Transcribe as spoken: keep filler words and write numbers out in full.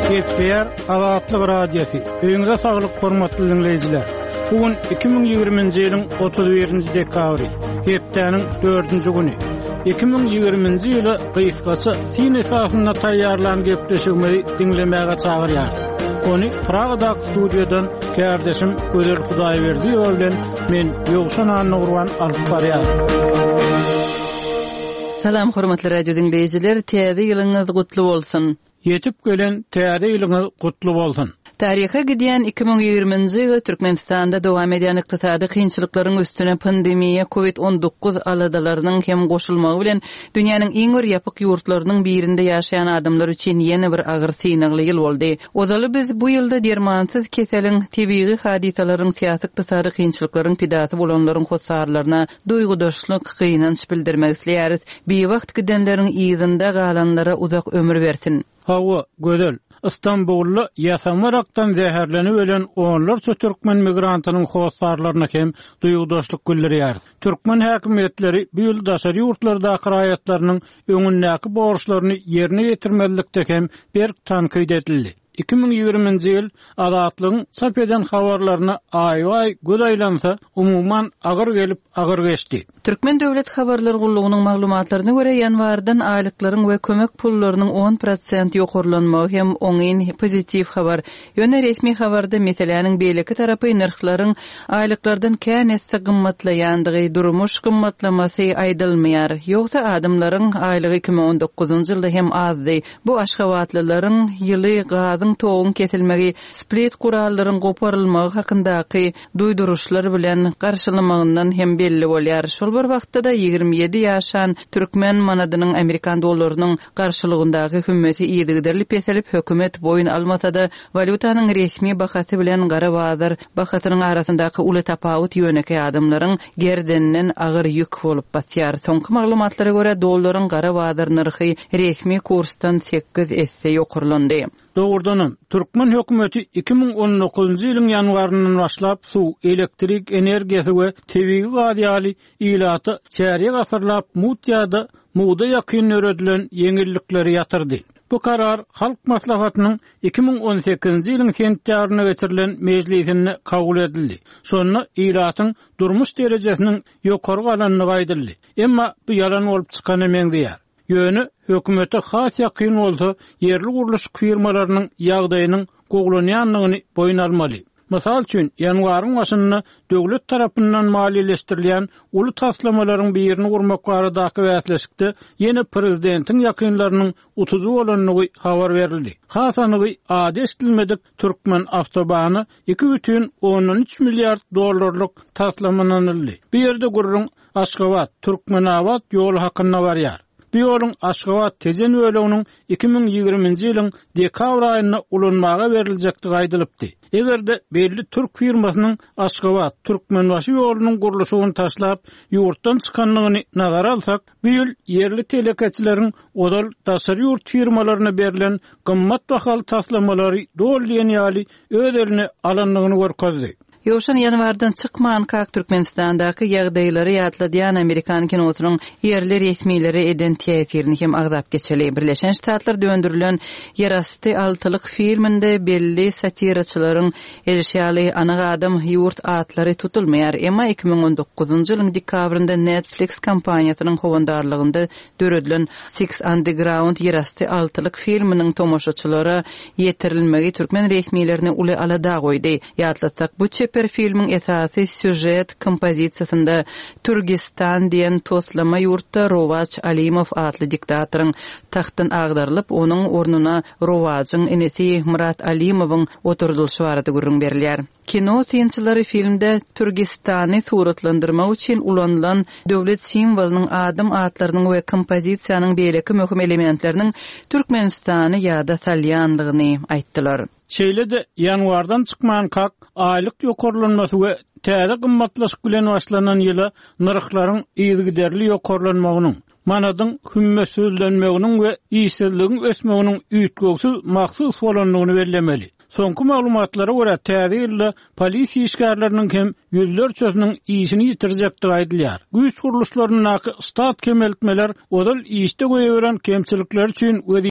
Gepleýär Azatlyk Radiosy. Öýüňize saglyk hormatly diňleýjiler. Bu gün iki müň ýigriminji ýylyň otuz birinji dekabry, hepdäniň dördünji güni. Iki müň ýigriminji ýyla gysgaça syn esasynda taýýarlan gepleşigimizi diňlemäge çagyrýarys. Ony Pragadaky studiýadan kärdeşim Gözel Hudaýberdiýewa bilen men Ýowşan Annagurban alyp barýarys. Salam hormatly radio diňleýjiler, täze ýylyňyz gutly bolsun. Ýetip gelen täze ýylyňyz gutly bolsun. Taryha gidýän iki müň ýigriminji ýyly Türkmenistanda dowam edýän ykdysady kynçylyklaryň üstüne pandemiýa COVID on dokuz aladalarynyň hem goşulmagy bilen dünýäniň iň bir ýapyk ýurtlarynyň birinde ýaşaýan adamlar üçin ýene bir agyr synagly ýyl boldy. Ozaly biz bu ýylda dermansyz keseliň, tebigy hadysalaryň, syýasy ykdysady kynçylyklaryň pidasy bolanlaryň hossarlaryna duýgudaşlyk, gynanç bildirmek isleýäris. Biwagt gidenleriň yzynda galanlara uzak ömür bersin. Hawa, gözel. İstanbulda ýasamarakdan zäherlenip ölen onlarça türkmen migrantynyň hossarlaryna hem duýgudaşlyk bildirýär. Türkmen häkimiýetleri bu ýyl daşary ýurtlardaky raýatlarynyň öňündäki borçlaryny ýerine ýetirmezlikde hem berk tankyt edildi. Iki müň ýigriminji ýyl Azatlygyň çap eden habarlaryna aý-aý göz aýlansa, umuman agyr gelip agyr geçdi. Türkmen Döwlet Habarlar Gullugynyň maglumatlaryna görä ýanwardan aýlyklaryň we kömek pullarynyň on prosent ýokarlanmagy hem oňyn pozitiw habar. Ýöne resmi habarda meseläniň beýleki tarapy nyrhlaryň aýlyklardan kän esse gymmatlaýandygy, durmuş gymmatlamasy aýdylmaýar. Ýogsa adamlaryň aýlygy iki müň on dokuzynjy ýylda hem azdy. Bu aşgabatlylaryň ýyly gazyň toguň kesilmegi, split kurallaryň goparylmagy hakyndaky duýduryşlar bilen garşylamagyndan hem belli bolýar. Şol bir wagtda da ýigrimi ýedi ýaşan türkmen manadynyň Amerikan dollarynyň garşylygyndaky hümmeti yzygiderli peselip, hökümet boýun almasa da walýutanyň resmi bahasy bilen gara bazar bahasynyň arasyndaky uly tapawut ýönekeý adamlaryň gerdeninden agyr ýük bolup batýar. Soňky maglumatlara görä dollaryň gara bazar nyrhy resmi kursdan sekiz esse ýokarlandy. Doğrudanam, Türkmen hökümeti iki müň on dokuzunjy ýylyň ýanwaryndan başlap suw, elektrik energiýasy we tebigy gaz ýaly ilata çärýek asyrlap mut ýa-da muğda ýakyn döredilen ýeňillikleri ýatyrdy. Bu karar Halk Maslahatynyň iki müň on sekizinji ýylyň sentýabrynda geçirilen mejlisinde kabul edildi. Şonda ilatyň durmuş derejesiniň ýokary galandygy aýdyldy. Emma bu ýalan bolup çykany meňzeýär. Ýöne hökümete has ýakyn bolsa ýerli gurluş firmalarynyň ýagdaýynyň gowlanýandygyny boýun almaly. Mysal üçin, ýanwaryň başynda döwlet tarapyndan maliýeleşdirilýän uly taslamalaryň birini gurmak baradaky bäsleşikde ýene prezidentiň ýakynlarynyň utujy bolandygy habar berildi. Has anygy ady eşidilmedik Türkmen awtobany iki bütin ondan üç milliard dollarlyk taslamananyldy. Bu ýerde gurrun Aşgabat, Türkmenabat ýoly hakynda barýar. Bu ýoluň Aşgabat Tejen böleginiň iki müň ýigriminji ýylyň dekabr aýynda ulanmaga beriljekdigi aýdylypdy. Eger-de belli türk firmasynyň Aşgabat Türkmenbaşy ýolunyň gurluşygyny taşlap ýurtdan çykandygyny nazara alsak, bu ýyl ýerli telekeçileriň ozal daşary ýurt firmalaryna berlen gymmat bahaly taslamalary doly diýen ýaly öz eline alandygyny görkezdi. Ýowşan ýanwardan çykmankak Türkmenistandaky ýagdaýlary ýatladýan Amerikan kinosynyň ýerli resmileri eden täsirini hem agzap geçeli. Birleşen Ştatlar döndürülen Ýerasty altylyk filminde belli satiraçylaryň edişýaly anyk adam ýurt atlary tutulmaýar. Emma iki müň on dokuzunjy ýylyň dekabrynda Netflix kompaniýasynyň howandarlygynda döredilen Six Underground Ýerasty altylyk filminiň tomaşaçylara ýetirilmegi türkmen resmilerine uly alada goýdy. Ýatlatsak, bu çeper filmiň esasy süjet kompozisiýasynda Türkistan diýen toslama ýurtda Rowaç Alimow atly diktatoryň tahtdan agdarylyp, onuň ornuna Rowaçyň inisi Murat Alimowyň oturdylyşy barada gürrüň berilýär. Kino synçylary filmde Türkistany suratlandyrmak üçin ulanylan döwlet simwolynyň adam atlarynyň we kompozisiýanyň beýleki möhüm elementleriniň Türkmenistany ýada salýandygyny aýtdylar. Şeýle-de ýanwardan çykmankak aýlyk ýokarlanmasy we täze gymmatlaşyk bilen başlanan ýyla nyrhlaryň yzygiderli ýokarlanmagynyň, manadyň hümmetsizlenmeginiň we işsizligiň ösmeginiň üýtgewsiz mahsus bolandygyny bellemeli. Soňky maglumatlara görä täze ýylda polis işgärleriniň hem ýüzlerçesiniň işini ýitirjekdigi aýdylýar. Güýç gurluşlaryndaky stat kemeltmeler ozal işde goýberen kemçilikler üçin